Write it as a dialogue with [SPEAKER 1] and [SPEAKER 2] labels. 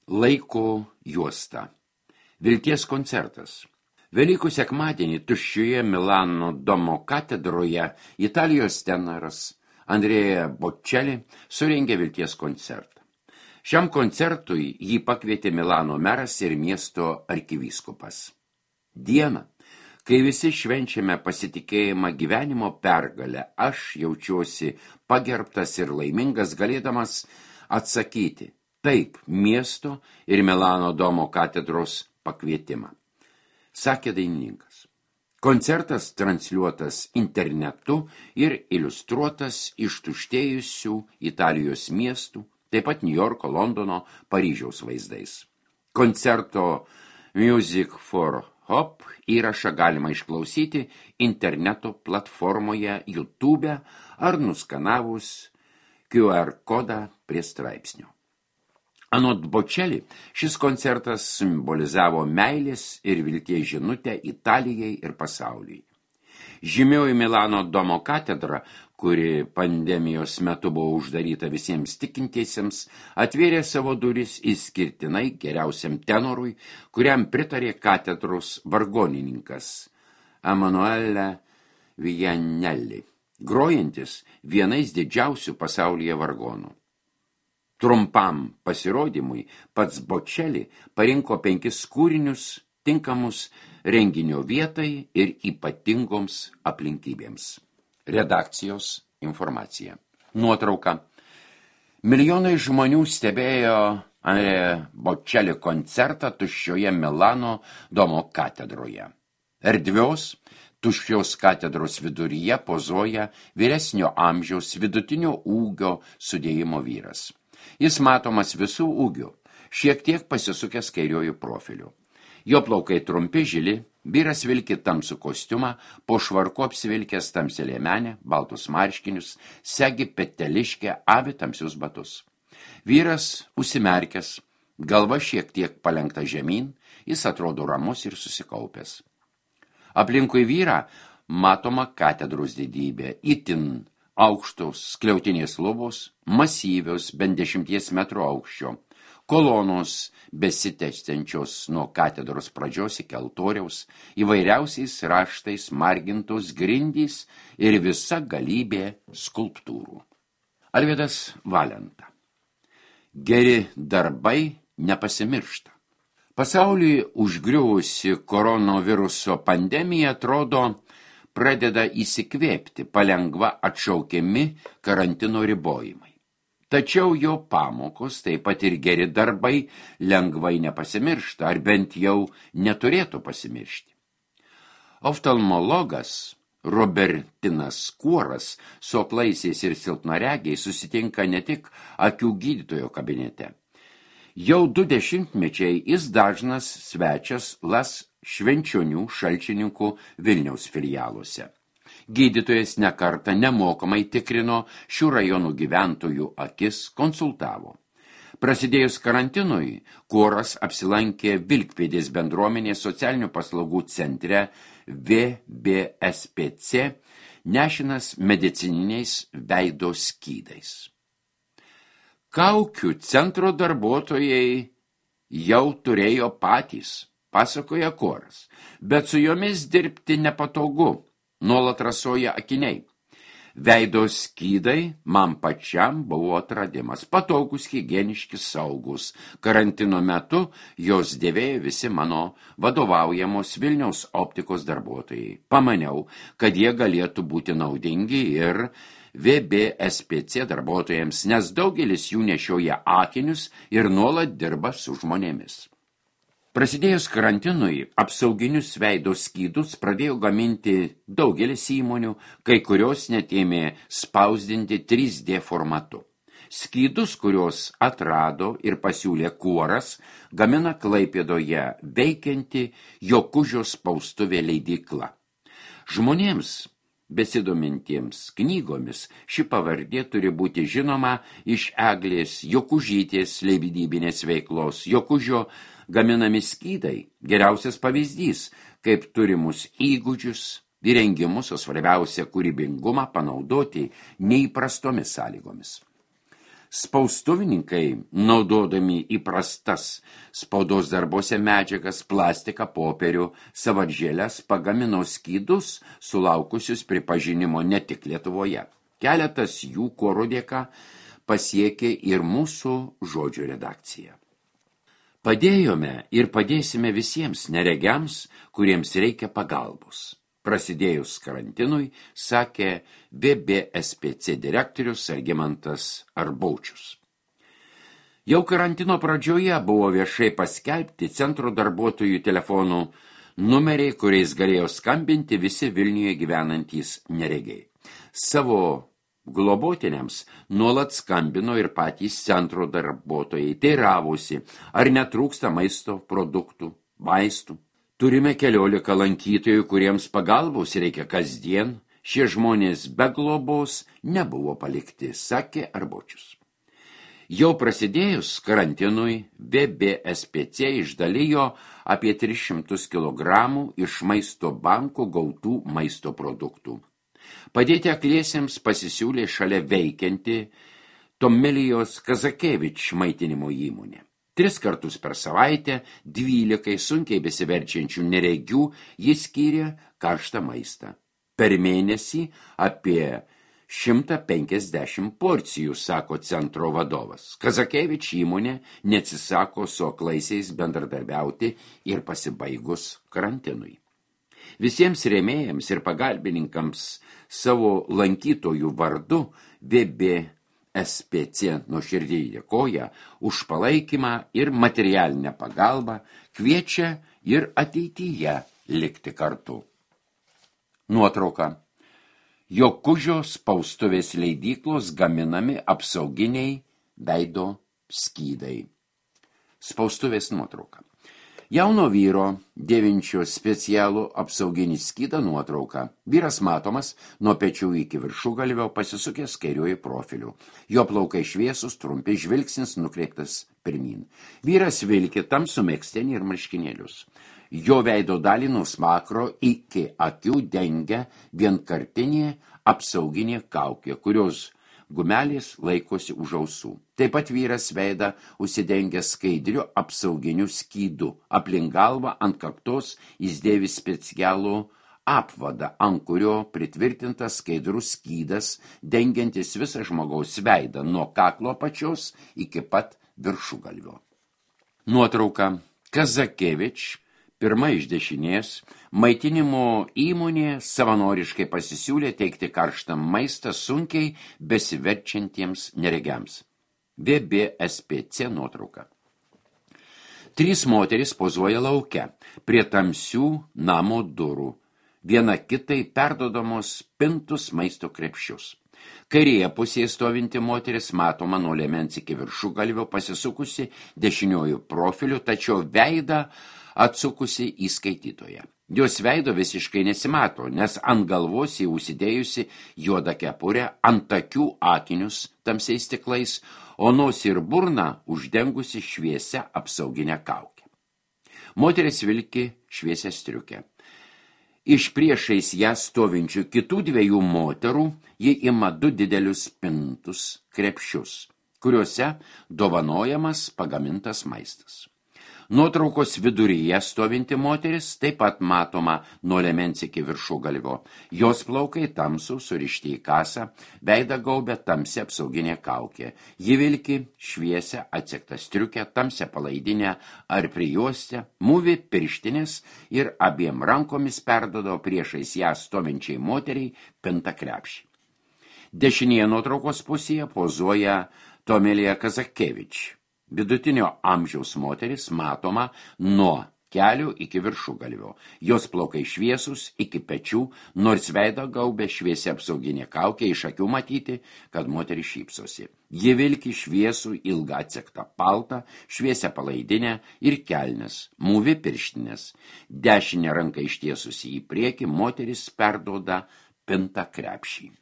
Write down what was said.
[SPEAKER 1] Laiko juosta. Vilties koncertas. Velykų sekmadienį tuščioje Milano Domo katedroje Italijos tenoras Andrea Bocelli surengė Vilties koncertą. Šiam koncertui jį pakvietė Milano meras ir miesto arkivyskupas. Dieną, kai visi švenčiame pasitikėjimą gyvenimo pergalę, aš jaučiuosi pagerbtas ir laimingas galėdamas atsakyti taip miesto ir Milano Domo katedros pakvietimą, sakė dainininkas. Koncertas transliuotas internetu ir iliustruotas ištuštėjusių Italijos miestų, taip pat Niujorko, Londono, Paryžiaus vaizdais. Koncerto Music for Hope įrašą galima išklausyti interneto platformoje YouTube ar nuskanavus QR kodą prie straipsnio. Anot Bocelli, šis koncertas simbolizavo meilės ir vilties žinutę Italijai ir pasauliui. Žymioji Milano Domo katedra, kuri pandemijos metu buvo uždaryta visiems tikintiesiems, atvėrė savo duris išskirtinai geriausiam tenorui, kuriam pritarė katedros vargonininkas Emanuele Vianelli, grojantis vienais didžiausių pasaulyje vargonų. Trumpam pasirodymui pats Bocelli parinko 5 kūrinius tinkamus renginio vietai ir ypatingoms aplinkybėms. Redakcijos informacija. Nuotrauka. Milijonai žmonių stebėjo Bocelli koncertą tuščioje Milano Domo katedroje. Erdvios, tuščios katedros viduryje pozuoja vyresnio amžiaus vidutinio ūgio sudėjimo vyras. Jis matomas visų ūgių, šiek tiek pasisukęs kairiojų profiliu. Jo plaukai trumpi, žili, vyras vilki tamsų kostiumą, po švarku apsivilkęs tamsią liemenę, baltus marškinius, segi peteliškę, avi tamsius batus. Vyras užsimerkęs, galva šiek tiek palenkta žemyn, jis atrodo ramus ir susikaupęs. Aplinkui vyrą matoma katedros didybė, itin aukštos skliautinės lubos, masyvios, bent 10 metrų aukščio, kolonos besitęsiančios nuo katedros pradžios iki altoriaus, įvairiausiais raštais margintos grindys ir visa galybė skulptūrų. Alvydas Valenta. Geri darbai nepasimiršta. Pasauliui užgriuvusi koronaviruso pandemija atrodo pradeda įsikvėpti, palengva atšaukiami karantino ribojimai. Tačiau jo pamokos, taip pat ir geri darbai, lengvai nepasimiršta, ar bent jau neturėtų pasimiršti. Oftalmologas Robertinas Kuoras su aklaisiais ir silpnaregiais susitinka ne tik akių gydytojo kabinete. Jau 2 dešimtmečiai jis dažnas svečias Las Švenčionių Šalčininkų Vilniaus filialuose. Gydytojas nekartą nemokamai tikrino šių rajonų gyventojų akis, konsultavo. Prasidėjus karantinui, Kuoras apsilankė Vilkpėdės bendruomenės socialinių paslaugų centre VBSPC, nešinas medicininiais veido skydais. Kaukių centro darbuotojai jau turėjo patys, pasakoja Kuoras, bet su jomis dirbti nepatogu, nuolat rasoja akiniai. Veido skydai man pačiam buvo atradimas, patogus, higieniški, saugus. Karantino metu jos dėvėjo visi mano vadovaujamos Vilniaus optikos darbuotojai. Pamaniau, kad jie galėtų būti naudingi ir VBSPC darbuotojams, nes daugelis jų nešioja akinius ir nuolat dirba su žmonėmis. Prasidėjus karantinui, apsauginius veido skydus pradėjo gaminti daugelis įmonių, kai kurios net ėmė spausdinti 3D formatu. Skydus, kurios atrado ir pasiūlė Kuoras, gamina Klaipėdoje veikianti Jokužio spaustuvė leidykla. Žmonėms besidomintiems knygomis ši pavardė turi būti žinoma iš Eglės Jokužytės leidybinės veiklos. Jokužio gaminami skydai geriausias pavyzdys, kaip turimus įgūdžius, įrengimus, o svarbiausia kūrybingumą panaudoti neįprastomis sąlygomis. Spaustuvininkai, naudodami įprastas spaudos darbuose medžiagas, plastiką, popierių, savadžėles, pagamino skydus, sulaukusius pripažinimo ne tik Lietuvoje. Keletas jų koro dėka pasiekė ir mūsų žodžio redakciją. Padėjome ir padėsime visiems neregiams, kuriems reikia pagalbos. Prasidėjus karantinui, sakė BBSPC direktorius Algimantas Arbaučius. Jau karantino pradžioje buvo viešai paskelbti centro darbuotojų telefonų numeriai, kuriais galėjo skambinti visi Vilniuje gyvenantys neregiai. Savo globotiniams nuolat skambino ir patys centro darbuotojai, teiravosi, ar netrūksta maisto produktų, vaistų. Turime 14 lankytojų, kuriems pagalbos reikia kasdien. Šie žmonės be globos nebuvo palikti, sakė Arbaučius. Jau prasidėjus karantinui, BBSPC išdalijo apie 300 kg iš maisto banko gautų maisto produktų. Padėti akliesiems pasisiūlė šalia veikianti Tomelijos Kazakevič maitinimo įmonė. 3 kartus per savaitę 12 sunkiai besiverčiančių neregių jis skyrė karštą maistą. Per mėnesį apie 150 porcijų, sako centro vadovas. Kazakevič įmonė neatsisako su aklaisiais bendradarbiauti ir pasibaigus karantinui. Visiems rėmėjams ir pagalbininkams savo lankytojų vardu BBSPC nuoširdžiai dėkoja už palaikymą ir materialinę pagalbą, kviečia ir ateityje likti kartu. Nuotrauka. Jokužio spaustuvės leidyklos gaminami apsauginiai veido skydai. Spaustuvės nuotrauka. Jauno vyro dėvinčio specialų apsauginį skydą nuotrauka. Vyras matomas nuo pečių iki viršugalvio pasisukęs kairiuoju profiliu. Jo plaukai šviesus, trumpi, žvilgsnis nukreiptas pirmyn. Vyras vilki tamsų megztinį ir marškinėlius. Jo veido dalį nuo smakro iki akių dengia vienkartinė apsauginė kaukė, kurios gumelės laikosi už ausų. Taip pat vyras veidą užsidengia skaidriu apsauginiu skydu. Aplink galvą ant kaktos jis dėvi specialų apvadą, ant kurio pritvirtintas skaidrus skydas, dengiantis visą žmogaus veidą nuo kaklo apačios iki pat viršugalvio. Nuotrauka. Kazakevič, pirma iš dešinės, maitinimo įmonė savanoriškai pasisiūlė teikti karštą maistą sunkiai besiverčiantiems neregiams. BBSPC nuotrauka. 3 moterys pozuoja lauke, prie tamsių namo durų. Viena kitai perdodamos pintus maisto krepšius. Kairėje pusėje stovinti moteris matoma nuo liemens iki viršugalvio pasisukusi dešiniuoju profiliu, tačiau veidą atsukusi į skaitytoją. Jos veido visiškai nesimato, nes ant galvos jį užsidėjusi juodą kepurę, ant akių akinius tamsiais stiklais, o nosį ir burną uždengusi šviesia apsauginę kaukę. Moteris vilki šviesią striukę. Iš priešais ją stovinčių kitų 2 moterų ji ima 2 didelius pintus krepšius, kuriuose dovanojamas pagamintas maistas. Nuotraukos viduryje stovinti moteris taip pat matoma nuo liemens iki viršugalvio. Jos plaukai tamsų, surišti į kasą, veidą gaubia tamsi apsauginė kaukė. Ji vilki šviesią atsegtą striukę, tamsią palaidinę ar prijuostę, mūvi pirštinės ir abiem rankomis perdodo priešais ją stovinčiai moteriai pintą krepšį. Dešinėje nuotraukos pusėje pozuoja Tomilija Kazakevič. Vidutinio amžiaus moteris matoma nuo kelių iki viršugalvio. Jos plaukai šviesus iki pečių, nors veidą gaubia šviesia apsauginė kaukė, iš akių matyti, kad moteris šypsosi. Ji vilki šviesų ilgą atsektą paltą, šviesią palaidinę ir kelnes, mūvi pirštinės. Dešinę ranką ištiesusi į priekį, moteris perduoda pintą krepšį.